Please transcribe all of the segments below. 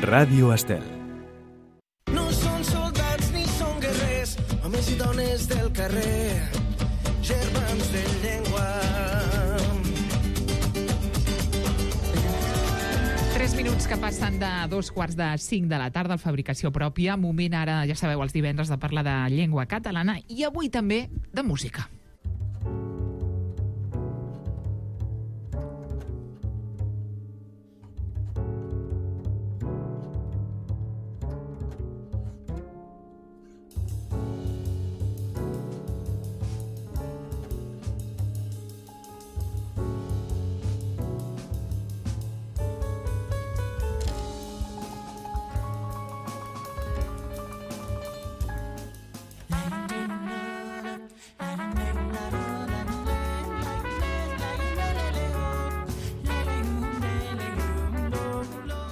Ràdio Estel. No són soldats ni són guerrers, homes i dones del carrer, germans de llengua. 3 minuts que passen de 2:45 de la tarda, Fabricació Pròpia. Moment ara, ja sabeu, els divendres de parlar de llengua catalana i avui també de música.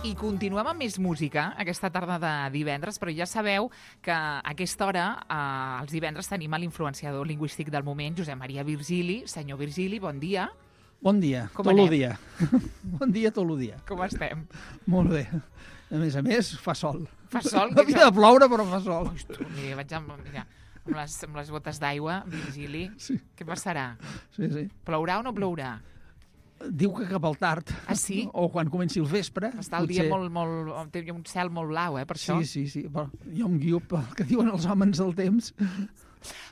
I continuem amb més música aquesta tarda de divendres, però ja sabeu que a aquesta hora, els divendres, tenim l'influenciador lingüístic del moment, Josep Maria Virgili. Senyor Virgili, bon dia. Bon dia, Com tot anem? el dia. Bon dia, tot el dia. Com estem? Molt bé. A més, fa sol. Fa sol? Havia de ploure, però fa sol. Mira, vaig amb les botes d'aigua, Virgili. Sí. Què passarà? Sí, sí. Plourà o no plourà? Diu que cap al tard. Ah, sí? O quan comenci el vespre. Està el dia molt... Té un cel molt blau, per això. Sí. Però jo em guio pel que diuen els homes del temps.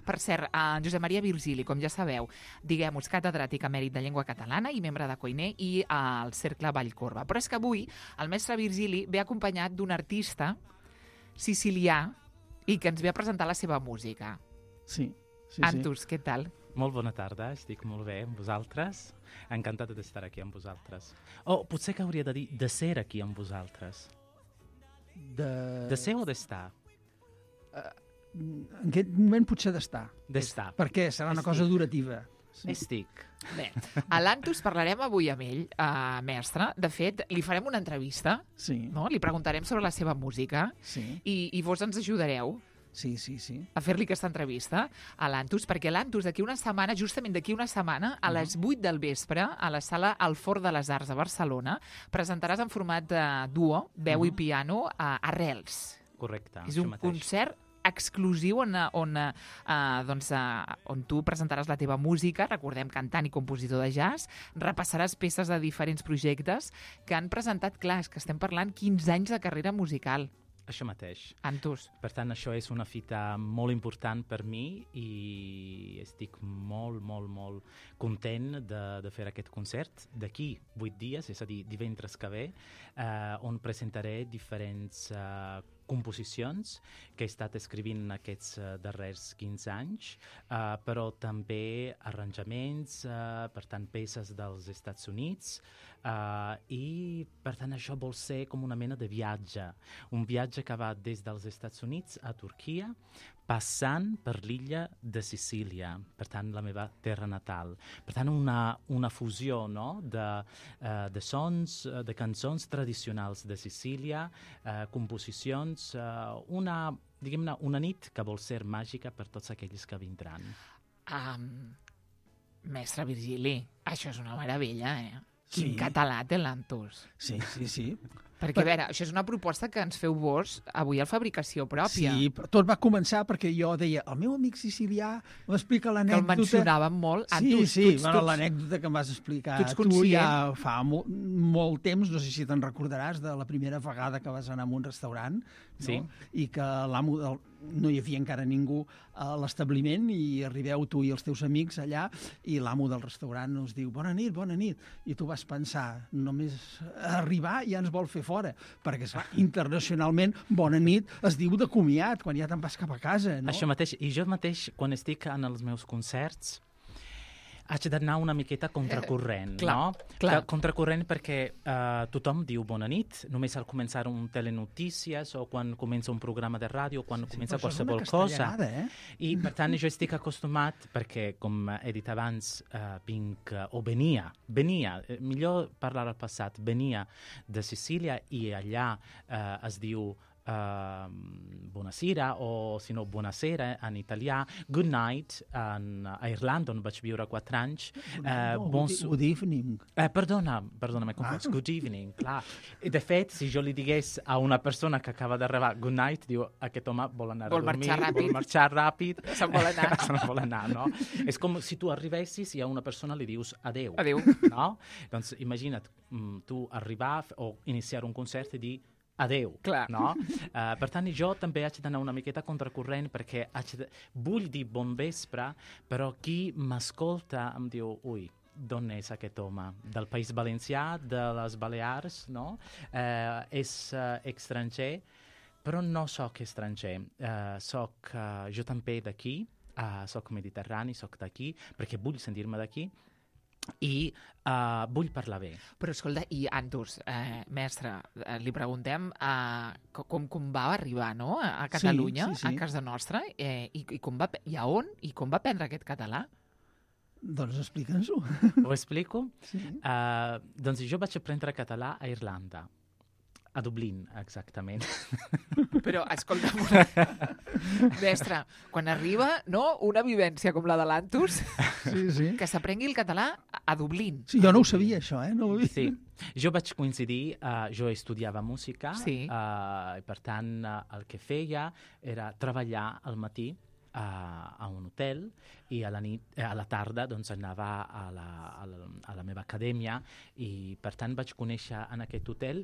Per cert, Josep Maria Virgili, com ja sabeu, diguem-nos, catedràtic emèrit de llengua catalana i membre de Coiner i al Cercle Vallcorba. Però és que avui el mestre Virgili ve acompanyat d'un artista sicilià i que ens ve a presentar la seva música. Sí. Antus, què tal? Molt bona tarda, estic molt bé amb vosaltres. Encantat d'estar aquí amb vosaltres. Oh, potser que hauria de dir de ser aquí amb vosaltres. De ser o d'estar? En aquest moment potser d'estar. D'estar. Perquè serà una cosa durativa. Sí. Estic. Bé, a l'Antus parlarem avui amb ell, mestre. De fet, li farem una entrevista, Sí. no? Li preguntarem sobre la seva música Sí. i vos ens ajudareu Sí. a fer-li aquesta entrevista a l'Antus, perquè l'Antus d'aquí una setmana, justament d'aquí una setmana, a les 8 del vespre, a la sala El Forn de les Arts de Barcelona, presentaràs en format de duo, veu i piano, a Arrels. Correcte. És un concert exclusiu on tu presentaràs la teva música, recordem, cantant i compositor de jazz, repassaràs peces de diferents projectes que han presentat, clar, és que estem parlant 15 anys de carrera musical. Això mateix. Antus. Per tant, això és una fita molt important per mi i estic molt content de fer aquest concert d'aquí 8 dies, és a dir, divendres que ve, on presentaré diferents composicions que he estat escrivint aquests darrers 15 anys, però també arranjaments, per tant, peces dels Estats Units, i, per tant, això vol ser com una mena de viatge. Un viatge que va des dels Estats Units a Turquia, passant per l'illa de Sicília, per tant, la meva terra natal. Per tant, una fusió, no?, de sons, de cançons tradicionals de Sicília, composicions, diguem-ne, una nit que vol ser màgica per tots aquells que vindran. Mestre Virgili, això és una meravella, Sí. Quin català té l'Antus. Sí. Perquè, a veure, això és una proposta que ens feu vos avui a Fabricació Pròpia. Sí, però tot va començar perquè jo deia, el meu amic sicilià m'explica l'anècdota... Que el mencionàvem molt. L'anècdota que em vas explicar tu ja fa molt temps, no sé si te'n recordaràs, de la primera vegada que vas anar a un restaurant, no? Sí. I que l'amo no hi havia encara ningú a l'establiment i arribeu tu i els teus amics allà i l'amo del restaurant us diu bona nit, i tu vas pensar només arribar ja ens vol fer fora, perquè esclar, internacionalment bona nit es diu de comiat quan ja te'n vas cap a casa, no? Això mateix, i jo mateix quan estic en els meus concerts haig d'anar una miqueta contracorrent, no? Clar. Contracorrent perquè tothom diu bona nit, només al començar un telenotícies o quan comença un programa de ràdio, quan comença qualsevol cosa. I, per tant, jo estic acostumat, perquè, com he dit abans, venia, millor parlar al passat, venia de Sicília i allà es diu buonasera, o si no buonasera en italià, good night a Irlanda, on vaig viure 4 anys. Good evening. Perdona, m'he confós. Good evening, clar. I de fet, si jo li digués a una persona que acaba d'arribar good night, diu, aquest home vol anar a dormir, vol marxar ràpid. Se'n vol anar. Se'n vol anar, no? És com si tu arribessis i a una persona li dius adeu. Adeu. No? Doncs imagina't tu arribar o iniciar un concert i dir adeu, clar. No? Per tant, jo també haig d'anar una miqueta contracorrent perquè vull dir bon vespre, però qui m'escolta em diu, ui, d'on és aquest home? Del País Valencià, de les Balears, no? És estranger, però no sóc estranger. Soc jo també d'aquí, soc mediterrani, soc d'aquí, perquè vull sentir-me d'aquí, i vull parlar bé. Però escolta, i Antus, mestre, li preguntem com va arribar, no?, a Catalunya, sí. a casa nostra, i a on i com va aprendre aquest català? Doncs explica'ns-ho. Ho explico? Sí. Doncs jo vaig aprendre català a Irlanda. A Dublín, exactament. Però, escolta, mestre, quan arriba, no?, una vivència com la de l'Antus, sí. que s'aprengui el català a Dublín. Sí, jo no ho sabia, això, No ho havia. Sí, jo vaig coincidir, jo estudiava música, sí. I per tant el que feia era treballar al matí a un hotel i a la tarda doncs, anava a la meva acadèmia i per tant vaig conèixer en aquest hotel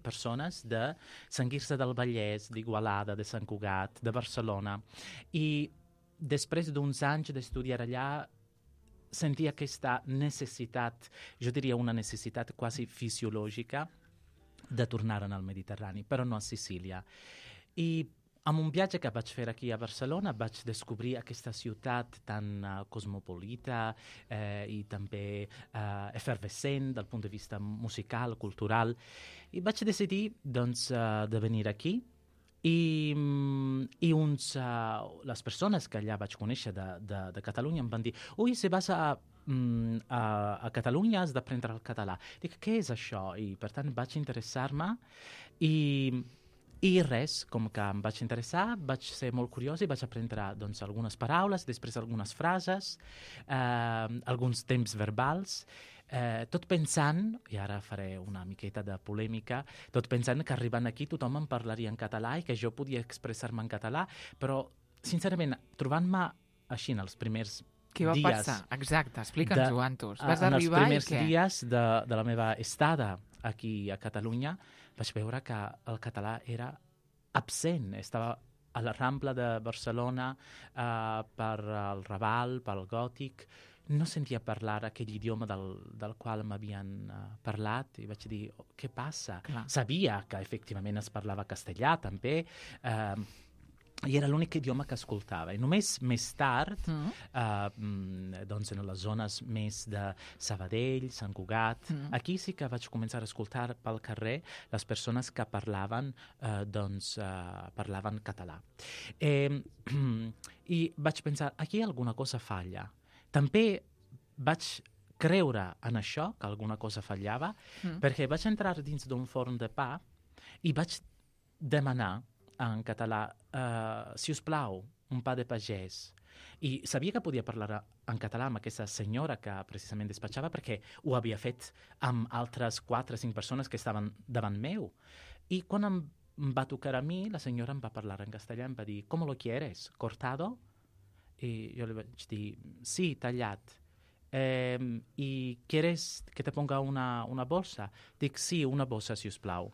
persones de Sant Quirze del Vallès, d'Igualada, de Sant Cugat, de Barcelona, i després d'uns anys d'estudiar allà sentia aquesta necessitat, jo diria una necessitat quasi fisiològica de tornar al Mediterrani, però no a Sicília. I amb un viatge que vaig fer aquí a Barcelona vaig descobrir aquesta ciutat tan cosmopolita i també efervescent del punt de vista musical, cultural, i vaig decidir doncs, de venir aquí i les persones que allà vaig conèixer de Catalunya em van dir ui, si vas a Catalunya has d'aprendre el català. Dic, què és això? I per tant vaig interessar-me i res, com que em vaig interessar, vaig ser molt curiós i vaig aprendre doncs, algunes paraules, després algunes frases, alguns temps verbals, tot pensant, i ara faré una miqueta de polèmica, tot pensant que arribant aquí tothom em parlaria en català i que jo podia expressar-me en català, però, sincerament, trobant-me així en els primers què va dies... passar? Exacte, explica'ns-ho, Antus. Vas arribar i què? En els primers dies de la meva estada aquí a Catalunya vaig veure que el català era absent. Estava a la Rambla de Barcelona, per el Raval, pel Gòtic. No sentia parlar aquell idioma del qual m'havien parlat i vaig dir, què passa? Clar. Sabia que efectivament es parlava castellà també, i era l'únic idioma que escoltava. I només més tard, doncs en les zones més de Sabadell, Sant Cugat, aquí sí que vaig començar a escoltar pel carrer les persones que parlaven, parlaven català. I vaig pensar, aquí alguna cosa falla. També vaig creure en això, que alguna cosa fallava, perquè vaig entrar dins d'un forn de pa i vaig demanar en català, si us plau, un pa de pagès. I sabia que podia parlar en català amb aquesta senyora que precisament despatxava perquè ho havia fet amb altres 4 o 5 persones que estaven davant meu. I quan em va tocar a mi, la senyora em va parlar en castellà, em va dir, ¿cómo lo quieres? ¿Cortado? I jo li vaig dir, sí, tallat. ¿Y quieres que te ponga una bolsa? Dic, sí, una bossa, si us plau.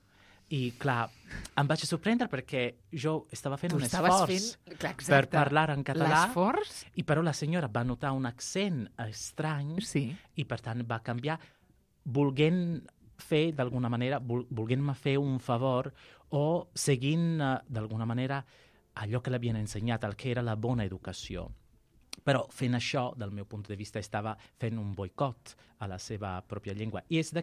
I, clar, em vaig sorprendre perquè jo estava fent un esforç per parlar en català, i però la senyora va notar un accent estrany i, per tant, va canviar volent fer, d'alguna manera, volent-me fer un favor o seguint, d'alguna manera, allò que l'havien ensenyat, el que era la bona educació. Però fent això, del meu punt de vista, estava fent un boicot a la seva pròpia llengua. I és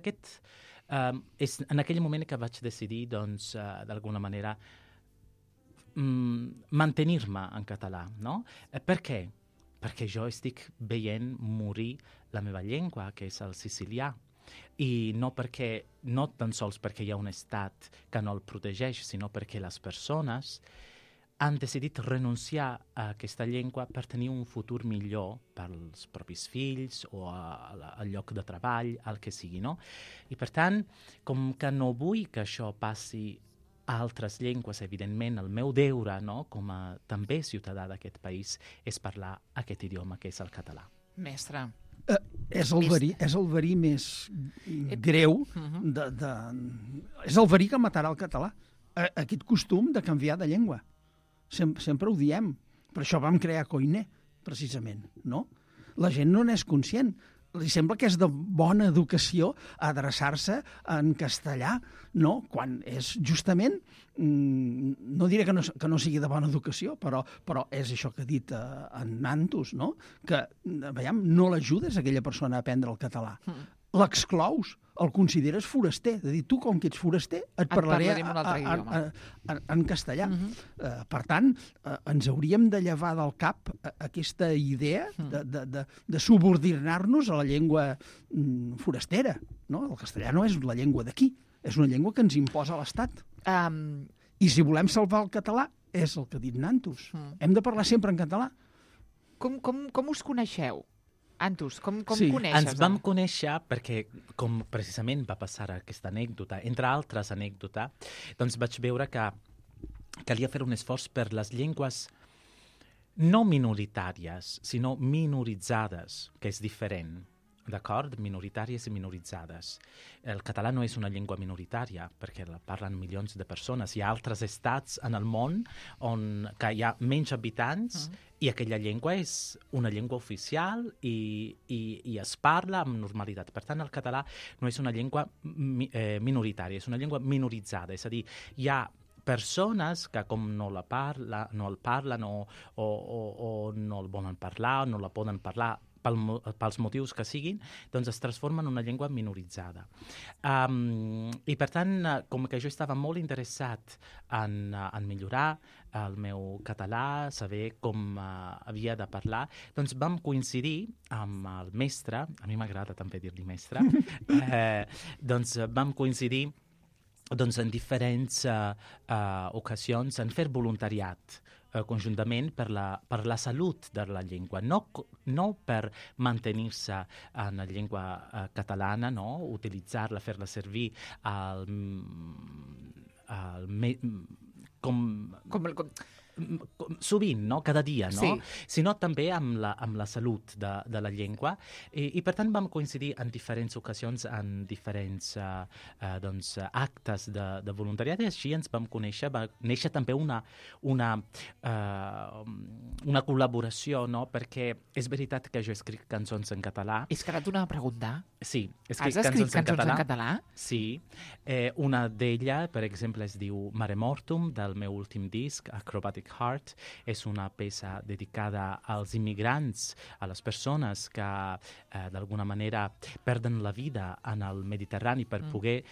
és en aquell moment que vaig decidir, doncs, d'alguna manera, mantenir-me en català, no? Per què? Perquè jo estic veient morir la meva llengua, que és el sicilià. I no tan sols perquè hi ha un estat que no el protegeix, sinó perquè les persones han decidit renunciar a aquesta llengua per tenir un futur millor pels propis fills o al lloc de treball, el que sigui, no? I per tant, com que no vull que això passi a altres llengües, evidentment, el meu deure, no?, com a també ciutadà d'aquest país, és parlar aquest idioma, que és el català. Mestre. És el verí més greu, és el verí que matarà el català. Aquest costum de canviar de llengua. Sempre ho diem. Per això vam crear Koiné, precisament, no? La gent no n'és conscient. Li sembla que és de bona educació adreçar-se en castellà, no? Quan és justament, no diré que no sigui de bona educació, però és això que ha dit en Nantus, no? Que, veiem, no l'ajudes a aquella persona a aprendre el català. L'exclous, el consideres foraster. És a dir, tu, com que ets foraster, et parlaré en castellà. Per tant, ens hauríem de llevar del cap aquesta idea de subordinar-nos a la llengua forastera. No? El castellà no és la llengua d'aquí, és una llengua que ens imposa l'Estat. I si volem salvar el català, és el que ha dit Nantus. Hem de parlar sempre en català. Com us coneixeu? Antus, com Sí. coneixes? Ens vam conèixer perquè, com precisament va passar aquesta anècdota, entre altres anècdotes, doncs vaig veure que calia fer un esforç per les llengües no minoritàries, sinó minoritzades, que és diferent. D'acord? Minoritàries i minoritzades. El català no és una llengua minoritària, perquè la parlen milions de persones. Hi ha altres estats en el món on que hi ha menys habitants i aquella llengua és una llengua oficial i es parla amb normalitat. Per tant, el català no és una llengua minoritària, és una llengua minoritzada. És a dir, hi ha persones que com no el parlen o no el volen parlar o no la poden parlar pels motius que siguin, doncs es transforma en una llengua minoritzada. I per tant, com que jo estava molt interessat en millorar el meu català, saber com havia de parlar, doncs vam coincidir amb el mestre, a mi m'agrada també dir-li mestre, doncs vam coincidir en diferents ocasions en fer voluntariat conjuntament per la salut de la llengua, no per mantenir-se en la llengua catalana, no? Utilitzar-la, fer-la servir sovint, no? Cada dia, no? Sí. Sinó també amb la salut de la llengua. I per tant vam coincidir en diferents ocasions, en diferents actes de voluntariat, i així ens vam conèixer. Va néixer també una col·laboració, no? Perquè és veritat que jo escric cançons en català. És que ara t'ho anava a preguntar. Sí, Has escrit cançons en català? Sí. Una d'elles, per exemple, es diu Mare Mortum, del meu últim disc, Acrobatic Heart. És una peça dedicada als immigrants, a les persones que d'alguna manera perden la vida en el Mediterrani per poder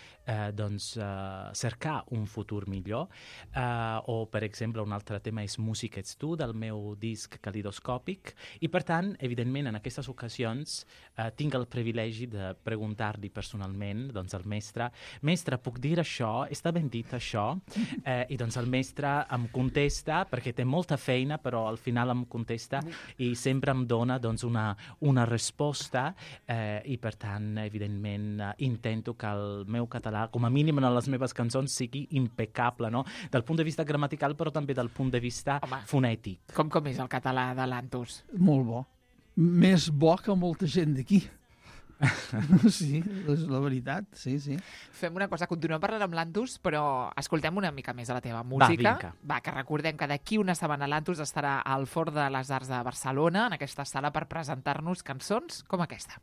cercar un futur millor. O, per exemple, un altre tema és Música ets tu, del meu disc Calidoscòpic. I, per tant, evidentment, en aquestes ocasions tinc el privilegi de preguntar-li personalment al mestre, puc dir això? Està ben dit això? I doncs el mestre em contesta, perquè té molta feina, però al final em contesta i sempre em dona una resposta i, per tant, evidentment, intento que el meu català, com a mínim en les meves cançons, sigui impecable, no? Del punt de vista gramatical, però també del punt de vista fonètic. Com és el català de l'Antus? Molt bo. Més bo que molta gent d'aquí. Sí, és la veritat, sí. Fem una cosa, continuem parlant amb l'Antus, però escoltem una mica més de la teva música. Va, que recordem que d'aquí una setmana l'Antus estarà al Forn de les Arts de Barcelona, en aquesta sala, per presentar-nos cançons com aquesta.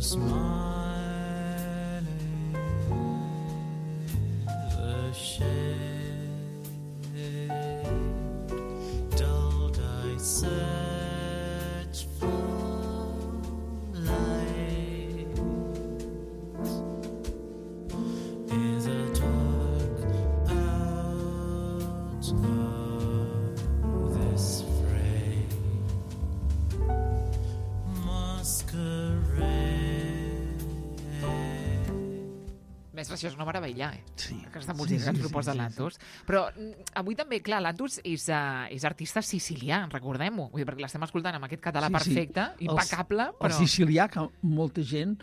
smiling, the shade, dulled I search for light. Is a dark out of this frame Mestre, això és una meravella, Sí. Aquesta música que ens proposa l'Antus. Però avui també, clar, l'Antus és artista sicilià, recordem-ho, vull dir, perquè l'estem escoltant amb aquest català perfecte, impecable, El però... sicilià, que molta gent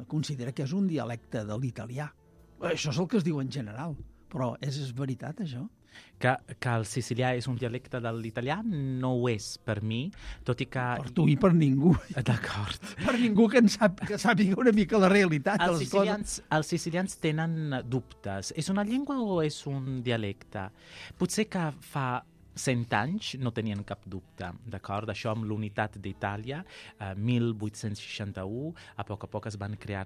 considera que és un dialecte de l'italià. Això és el que es diu en general, però és veritat, això? Que el sicilià és un dialecte de l'italià no ho és per mi, tot i que... Per tu i per ningú. D'acord. Per ningú que sàpiga una mica la realitat de les coses. Els sicilians tenen dubtes. És una llengua o és un dialecte? Potser que fa 100 anys no tenien cap dubte, d'acord? Això amb l'unitat d'Itàlia, 1861, a poc es van crear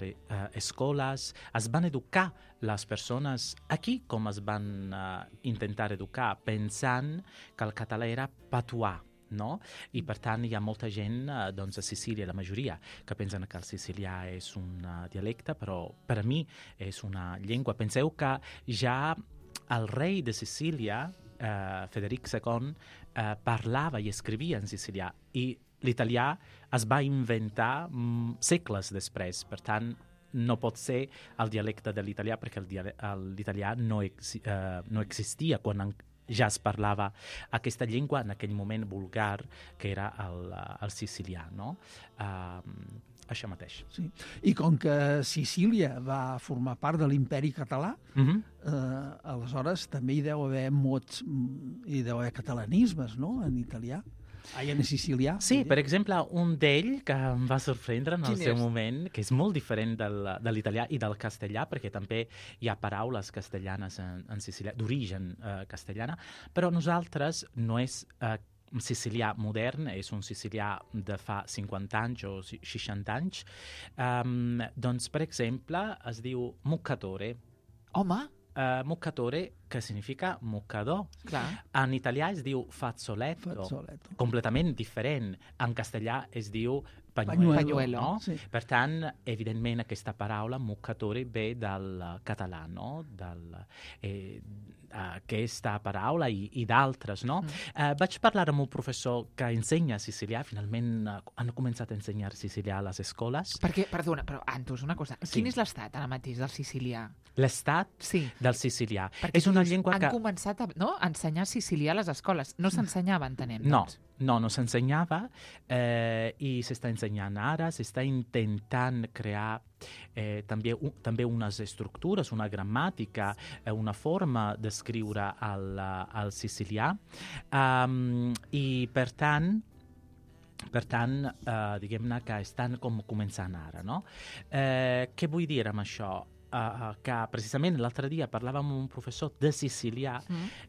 escoles, es van educar les persones aquí com es van intentar educar, pensant que el català era patuà, no? I per tant hi ha molta gent doncs a Sicília, la majoria, que pensen que el sicilià és un dialecte, però per a mi és una llengua. Penseu que ja el rei de Sicília, Frederic II, parlava i escrivia en sicilià i l'italià es va inventar segles després. Per tant, no pot ser el dialecte de l'italià perquè l'italià no existia quan ja es parlava aquesta llengua en aquell moment vulgar que era el sicilià, no? Això mateix. Sí. I com que Sicília va formar part de l'imperi català, aleshores també hi deu haver mots, hi deu haver catalanismes, no?, en italià. En sicilià. Sí, per exemple, un d'ell que em va sorprendre en el seu moment, que és molt diferent de l'italià i del castellà, perquè també hi ha paraules castellanes en sicilià, d'origen castellana, però nosaltres no és sicilià modern, és un sicilià de fa 50 anys o 60 anys. Doncs, per exemple, es diu muccatore. Home! Muccatore, que significa muccador. Clar. En italià es diu fazzoletto. Completament diferent. En castellà es diu pañuelo. No? Sí. Per tant, evidentment, aquesta paraula, muccatore, ve del català, no? Aquesta paraula i d'altres, no? Vaig parlar amb un professor que ensenya sicilià, finalment han començat a ensenyar sicilià a les escoles. Perquè, perdona, però Antus, una cosa, quin és l'estat ara mateix del sicilià? L'estat del sicilià. Perquè és una llengua que... Han començat a ensenyar sicilià a les escoles. No s'ensenyava, entenem, doncs. No s'ensenyava i s'està ensenyant ara, s'està intentant crear també unes estructures, una gramàtica, una forma d'escriure al sicilià i per tant, diguem-ne que estan com començant ara, no? Què vull dir amb això? Que precisament l'altre dia parlava amb un professor de sicilià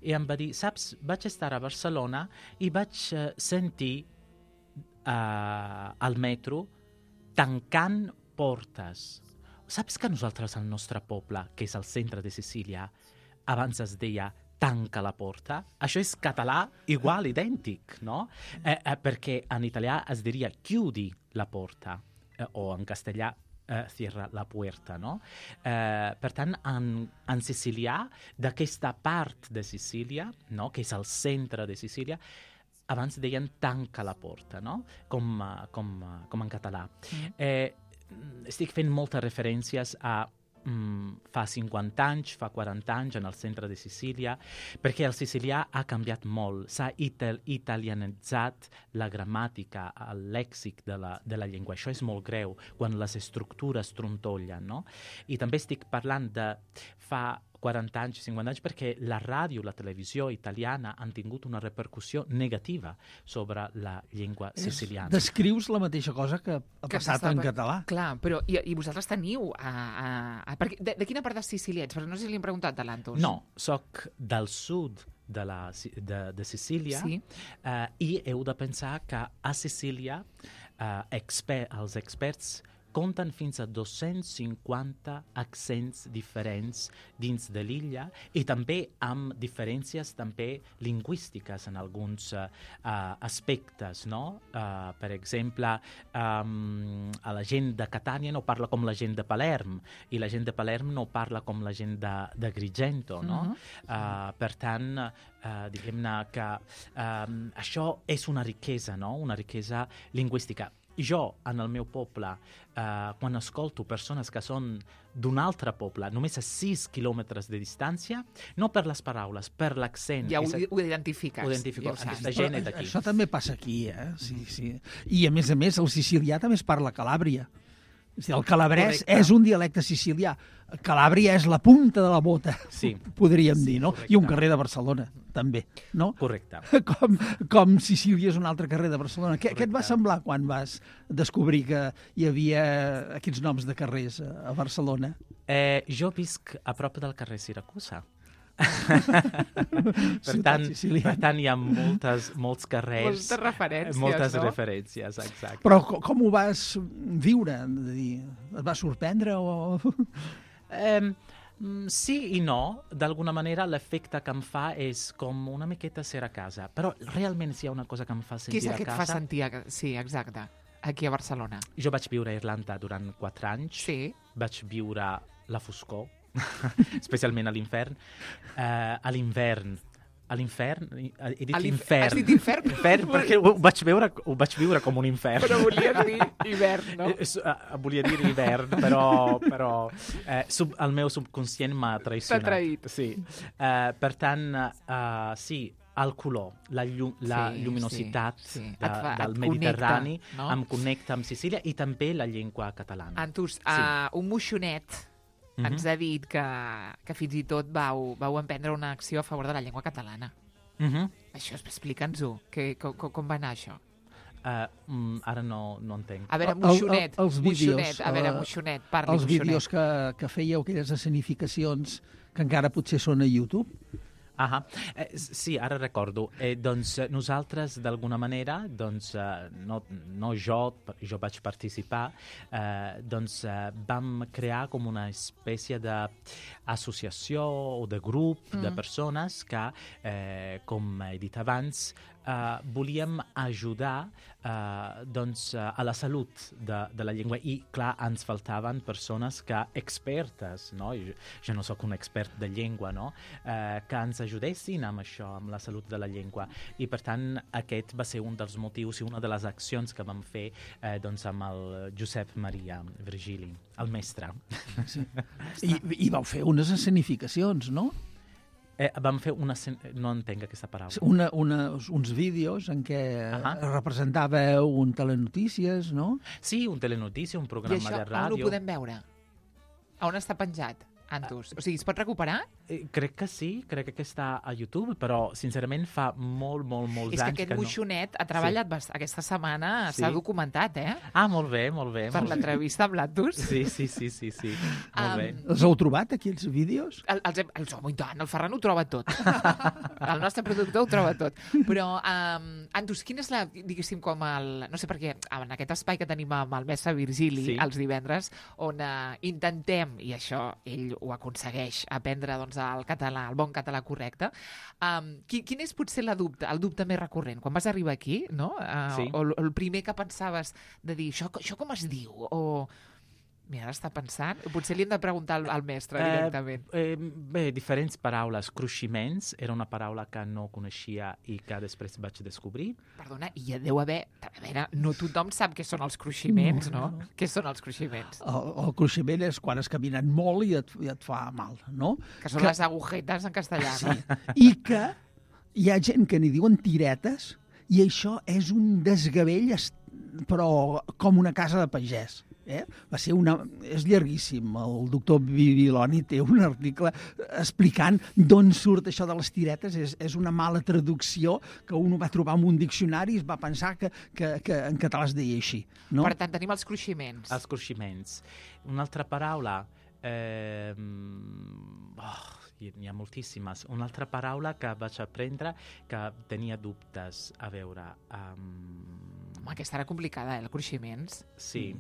i em va dir, saps, vaig estar a Barcelona i vaig sentir al metro tancant portes. Saps que nosaltres al nostre poble, que és el centre de Sicília, abans es deia tanca la porta? Això és català igual, idèntic, no? Perquè en italià es diria chiudi la porta o en castellà cierra la puerta, no? Per tant, en sicilià, d'aquesta part de Sicília, no? Que és el centre de Sicília, abans deien tanca la porta, no? Com en català. Estic fent moltes referències a fa 50 anys, fa 40 anys en el centre de Sicília, perquè el sicilià ha canviat molt, s'ha italianitzat la gramàtica, el lèxic de la llengua. Això és molt greu, quan les estructures trontollen, no? I també estic parlant de fa 40 anys, 50 anys, perquè la ràdio, la televisió italiana han tingut una repercussió negativa sobre la llengua siciliana. Descrius la mateixa cosa que ha passat en català. Clar, però i vosaltres teniu... De quina part de Sicília ets? Perquè no sé si li hem preguntat de l'Antus. No, soc del sud de Sicília i heu de pensar que a Sicília els experts compten fins a 250 accents diferents dins de l'illa i també amb diferències també lingüístiques en alguns aspectes, no? Per exemple, la gent de Catània no parla com la gent de Palerm i la gent de Palerm no parla com la gent de Agrigento, no? Per tant, diguem-ne que això és una riquesa, no? Una riquesa lingüística. Jo, en el meu poble, quan escolto persones que són d'un altre poble, només a 6 quilòmetres de distància, no per les paraules, per l'accent. Ja ho identifiques. Ho identifico. Aquesta gent és d'aquí. Això també passa aquí, Sí, sí. I, a més, el sicilià també es parla a Calàbria. El calabrès és un dialecte sicilià. Calàbria és la punta de la bota, podríem dir, no? Correcte. I un carrer de Barcelona, també, no? Correcte. Com Sicília és un altre carrer de Barcelona. Què et va semblar quan vas descobrir que hi havia aquests noms de carrers a Barcelona? Jo visc a prop del carrer Siracusa. Per tant, hi ha molts carrers... Moltes referències, moltes no? referències, exacte. Però com ho vas viure? Et va sorprendre o...? Sí i no. D'alguna manera, l'efecte que em fa és com una miqueta ser a casa. Però realment, si hi ha una cosa que em fa sentir a casa... Què és el que et fa sentir? Sí, exacte. Aquí a Barcelona. Jo vaig viure a Irlanda durant 4 anys. Sí. Vaig viure la foscor, especialment a l'infern. A l'infern, he dit infern. Has dit infern? Infern, perquè ho vaig viure com un infern. Però volies dir hivern, no? Volia dir hivern, però el meu subconscient m'ha traicionat. T'ha traït. Sí. Per tant, sí, el color, la lluminositat del Mediterrani em connecta amb Sicília i també la llengua catalana. Antus, un moixonet ens ha dit que fins i tot vau emprendre una acció a favor de la llengua catalana. Això, explica'ns-ho. Com va anar això? Ara no entenc. A veure, moixonet. Els vídeos. A veure, moixonet, parli els moixonet. vídeos que fèieu, aquelles escenificacions que encara potser són a YouTube. Sí, ara recordo. Doncs nosaltres, d'alguna manera, doncs, no jo vaig participar, doncs vam crear com una espècie d'associació o de grup de persones que, com he dit abans, volíem ajudar doncs, a la salut de la llengua i, clar, ens faltaven persones expertes, no? Jo no sóc un expert de llengua, no? Que ens ajudessin amb això, amb la salut de la llengua. I, per tant, aquest va ser un dels motius i una de les accions que vam fer doncs, amb el Josep Maria Virgili, el mestre. Sí. I vau fer unes escenificacions, no? Vam fer no entenc aquesta paraula. Uns vídeos en què representàveu un telenotícies, no? Sí, un telenotícia, un programa de ràdio. I això on ho podem veure? On està penjat, Antus? O sigui, es pot recuperar? Crec que sí, crec que està a YouTube, però sincerament fa molts anys que no. És que aquest moixonet ha treballat aquesta setmana, s'ha documentat, Molt bé, molt bé. Per l'entrevista amb l'Antus. Sí. Molt bé. Els heu trobat, aquí, els vídeos? I tant, el Ferran ho troba tot. El nostre productor ho troba tot. Però, Antus, quina és diguéssim, no sé per què, en aquest espai que tenim amb el mestre Virgili, els divendres, on intentem, i això ell ho aconsegueix, aprendre, doncs, el català, el bon català correcte. Quin és potser el dubte més recurrent? Quan vas arribar aquí, no? O el primer que pensaves de dir, això com es diu? O... Mira, ara està pensant. Potser li hem de preguntar al mestre directament. Bé, diferents paraules. Cruiximents era una paraula que no coneixia i que després vaig descobrir. Perdona, i ja deu haver... A veure, no tothom sap què són els cruiximents, no? Què són els cruiximents? El cruiximent és quan has caminat molt i et fa mal, no? Que són les agujetes en castellà, no? I que hi ha gent que n'hi diuen tiretes i això és un desgavell, però com una casa de pagès. És llarguíssim. El doctor Bibiloni té un article explicant d'on surt això de les tiretes. És una mala traducció que un ho va trobar en un diccionari i es va pensar que en català es deia així. No? Per tant, tenim els cruiximents. Els cruiximents. Una altra paraula... N'hi ha moltíssimes. Una altra paraula que vaig aprendre que tenia dubtes a veure... Home, aquesta era complicada, els cruiximents. Sí.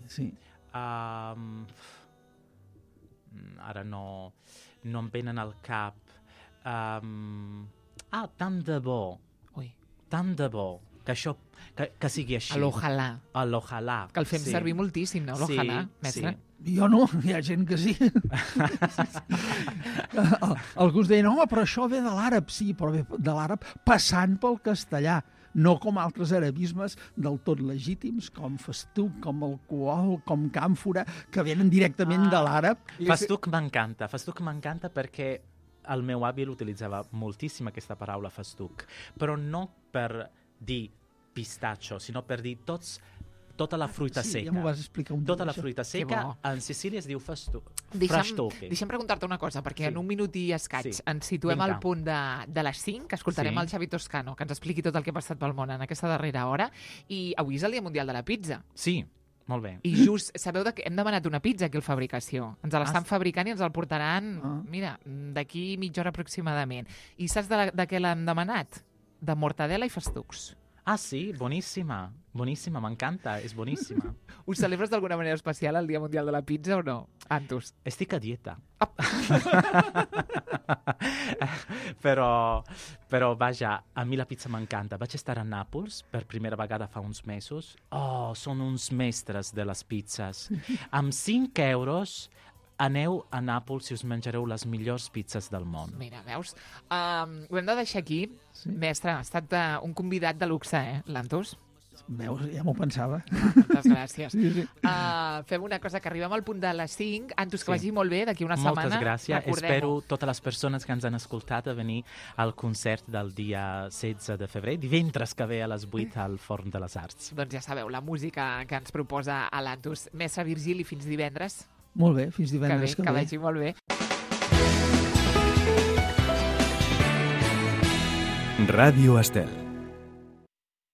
Ara no em venen al cap. Tant de bo. Ui. Tant de bo que això que sigui així. L'ojalà. L'ojalà. Que el fem servir moltíssim, no? L'ojalà, mestre. Sí. Jo no, hi ha gent que sí. Alguns deien, home, però això ve de l'àrab. Sí, però ve de l'àrab passant pel castellà. No com altres arabismes del tot legítims, com festuc, com alcohol, com càmfora, que venen directament de l'àrab. Festuc m'encanta perquè el meu avi l'utilitzava moltíssim, aquesta paraula festuc, però no per dir pistatxo, sinó per dir tota la fruita seca. Sí, ja m'ho vas explicar un dia. Tota la fruita seca, en Sicília es diu festuc. Deixa'm preguntar-te una cosa, perquè en un minut i escaig ens situem al punt de les 5, que escoltarem el Xavi Toscano, que ens expliqui tot el que ha passat pel món en aquesta darrera hora, i avui és el Dia Mundial de la Pizza. Sí, molt bé. I just, sabeu que hem demanat una pizza aquí al Fabricació. Ens l'estan fabricant i ens el portaran, mira, d'aquí mitja hora aproximadament. I saps de què l'hem demanat? De mortadela i festucs. Sí, boníssima, m'encanta, és boníssima. Ho celebres d'alguna manera especial el Dia Mundial de la Pizza o no, Antus? Estic a dieta. Però, vaja, a mi la pizza m'encanta. Vaig estar a Nàpols per primera vegada fa uns mesos. Són uns mestres de les pizzas. Amb 5 euros aneu a Nàpols i us menjareu les millors pizzas del món. Mira, veus? Ho hem de deixar aquí. Sí. Mestre, ha estat un convidat de luxe, l'Antus? Veus, ja m'ho pensava. Moltes gràcies. Sí. Fem una cosa, que arribem al punt de les 5. Antus, que vagi molt bé d'aquí una setmana. Moltes gràcies. Espero totes les persones que ens han escoltat a venir al concert del dia 16 de febrer, divendres que ve a les 8 al Forn de les Arts. Doncs ja sabeu, la música que ens proposa l'Antus. Mestre Virgili, fins divendres. Molt bé, fins divendres que ve. Que vagi molt bé. Ràdio Estel.